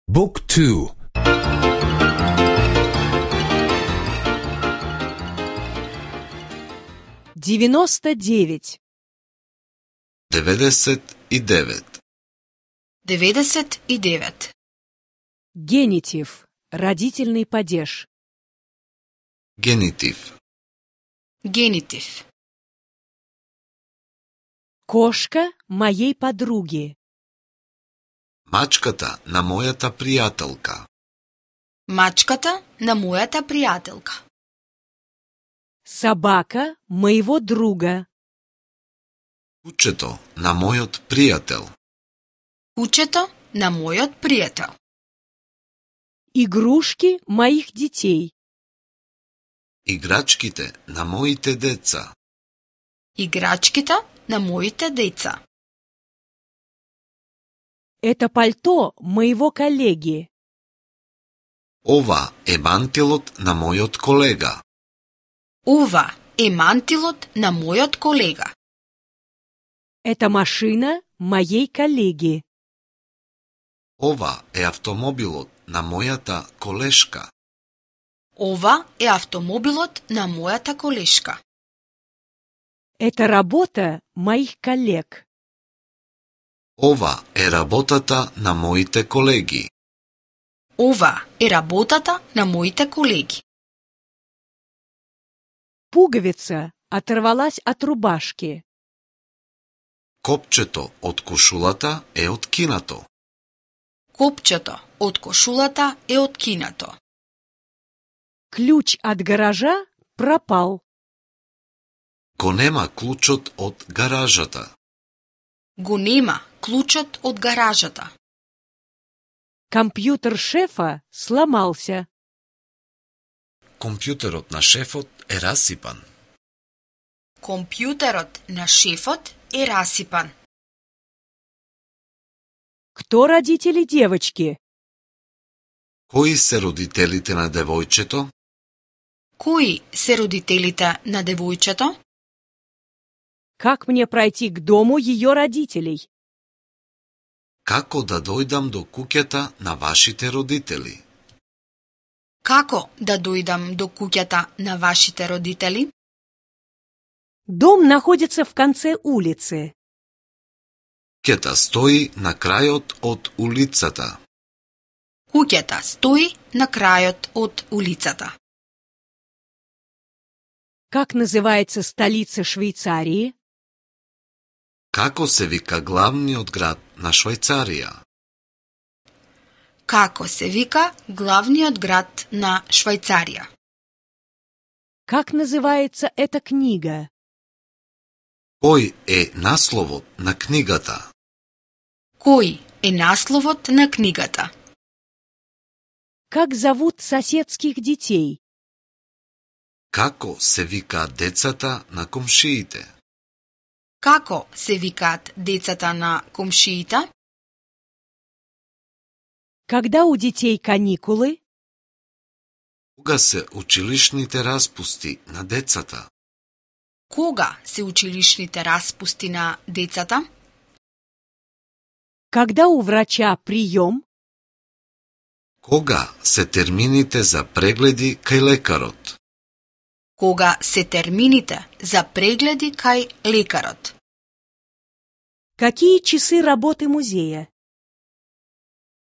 Book 2. 99. 99. 99. Генитив. Родительный падеж. Генитив. Генитив. Кошка моей подруги. Мачката на мојата пријателка. Мачката на мојата пријателка. Собака моего друга. Кучето на мојот пријател. Кучето на мојот пријател. Игрушки моих детей. Играчките на моите деца. Играчките на моите деца. Это пальто моего коллеги. Ова е мантилот на мојот колега. Ова е мантилот на мојот колега. Это машина моей коллеги. Ова е автомобилот на мојата колешка. Ова е автомобилот на мојата колешка. Это работа моих коллег. Ова е работата на моите колеги. Ова е работата на моите колеги. Пуговица оторвалась от рубашки. Копчето од кошулата е откинато. Копчето од кошулата е откинато. Ключ от гаража пропал. Го нема клучот од гаражата. Го нема клучот од гаражата. Компьютер шефа сломался. Компјутерот на шефот е расипан. Компјутерот на шефот е расипан. Кто родители девочки? Кои се родителите на девојчето? Кои се родителите на девојчето? Как мне пройти к дому ее родителей? Како да дојдам до куќата на вашите родители? Како да дојдам до куќата на вашите родители? Дом находится в конце улицы. Куќата стои на крајот од улицата. Куќата стои на крајот од улицата. Как называется столица Швейцарии? Како се вика главниот град на Швајцарија? Како се вика главниот град на Швајцарија? Как называется эта книга? Кој е насловот на книгата? Кој е насловот на книгата? Как зовут соседских детей? Како се викаат децата на комшиите? Како се викаат децата на комшиите? Когда у детей каникулы? Кога се училишните распусти на децата? Кога се училишните распусти на децата? Когда у врача прием? Кога се термините за прегледи кај лекарот? Кога се термините за прегледи кај лекарот? Какие часы работы музея?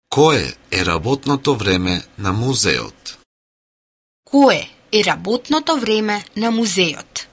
Кое е работното време на музеот? Кое е работното време на музеот?